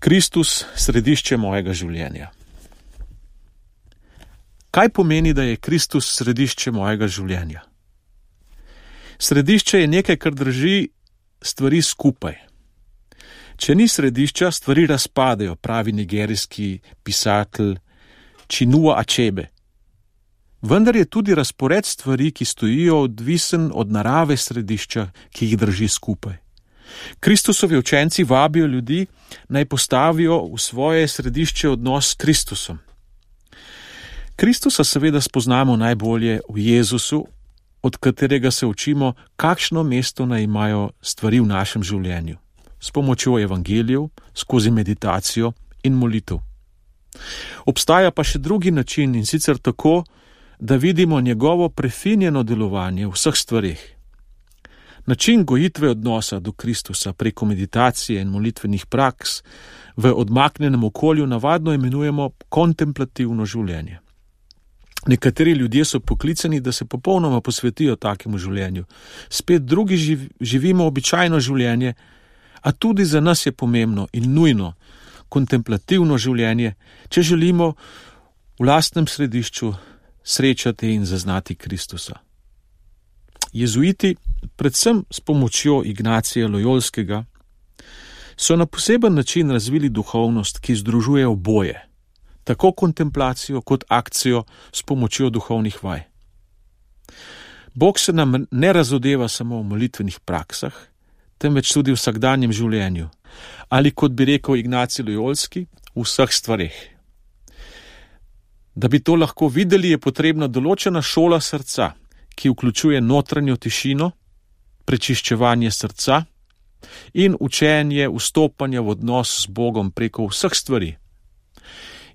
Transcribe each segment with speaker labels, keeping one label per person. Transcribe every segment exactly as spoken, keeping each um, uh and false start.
Speaker 1: Kristus, središče mojega življenja. Kaj pomeni, da je Kristus središče mojega življenja? Središče je nekaj, kar drži stvari skupaj. Če ni središča, stvari razpadejo, pravi nigerijski pisatelj Chinua Achebe. Vendar je tudi razpored stvari, ki stojijo, odvisen od narave središča, ki jih drži skupaj. Kristusovi učenci vabijo ljudi, naj postavijo v svoje središče odnos s Kristusom. Kristusa seveda spoznamo najbolje v Jezusu, od katerega se učimo, kakšno mesto naj imajo stvari v našem življenju, s pomočjo evangelijev, skozi meditacijo in molitev. Obstaja pa še drugi način, in sicer tako, da vidimo njegovo prefinjeno delovanje v vseh stvareh. Način gojitve odnosa do Kristusa preko meditacije in molitvenih praks v odmaknjenem okolju navadno imenujemo kontemplativno življenje. Nekateri ljudje so poklicani, da se popolnoma posvetijo takemu življenju. Spet drugi živ, živimo običajno življenje, a tudi za nas je pomembno in nujno kontemplativno življenje, če želimo v lastnem središču srečati in zaznati Kristusa. Jezuiti, predvsem s pomočjo Ignacija Lojolskega, so na poseben način razvili duhovnost, ki združuje oboje, tako kontemplacijo kot akcijo s pomočjo duhovnih vaj. Bog se nam ne razodeva samo v molitvenih praksah, temveč tudi v vsakdanjem življenju, ali kot bi rekel Ignacij Lojolski, v vseh stvareh. Da bi to lahko videli, je potrebna določena šola srca, ki vključuje notranjo tišino, prečiščevanje srca in učenje vstopanja v odnos z Bogom preko vseh stvari.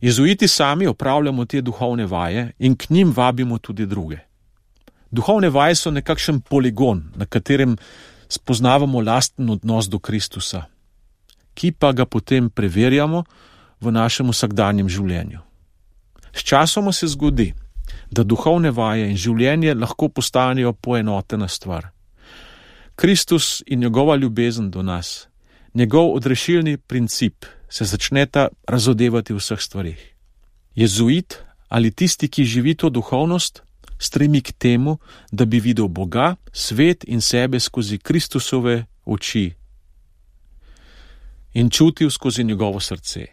Speaker 1: Jezuiti sami opravljamo te duhovne vaje in k njim vabimo tudi druge. Duhovne vaje so nekakšen poligon, na katerem spoznavamo lasten odnos do Kristusa, ki pa ga potem preverjamo v našem vsakdanjem življenju. Sčasoma se zgodi, da duhovne vaje in življenje lahko postanejo poenotena stvar. Kristus in njegova ljubezen do nas, njegov odrešilni princip se začneta razodevati v vseh stvarih. Jezuit ali tisti, ki živi to duhovnost, stremi k temu, da bi videl Boga, svet in sebe skozi Kristusove oči in čutil skozi njegovo srce.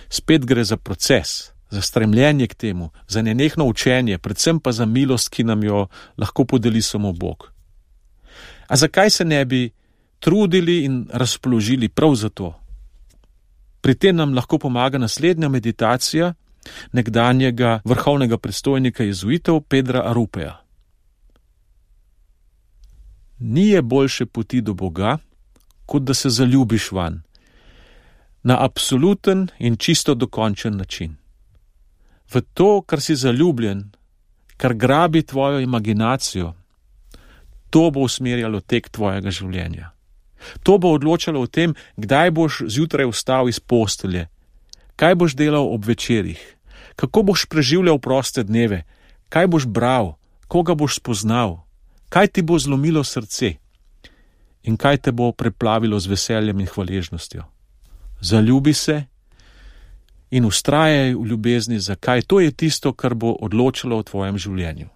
Speaker 1: Spet gre za proces, za stremljenje k temu, za nenehno učenje, predvsem pa za milost, ki nam jo lahko podeli samo Bog. A zakaj se ne bi trudili in razpoložili prav za to? Pri tem nam lahko pomaga naslednja meditacija nekdanjega vrhovnega predstojnika jezuitov Pedra Arupeja. Ni je boljše poti do Boga, kot da se zaljubiš vanj, na absoluten in čisto dokončen način. V to, kar si zaljubljen, kar grabi tvojo imaginacijo, to bo usmerjalo tek tvojega življenja. To bo odločalo o tem, kdaj boš zjutraj vstal iz postelje, kaj boš delal ob večerih, kako boš preživljal proste dneve, kaj boš bral, koga boš spoznal, kaj ti bo zlomilo srce in kaj te bo preplavilo z veseljem in hvaležnostjo. Zaljubi se in vztrajaj v ljubezni, zakaj to je tisto, kar bo odločalo o tvojem življenju.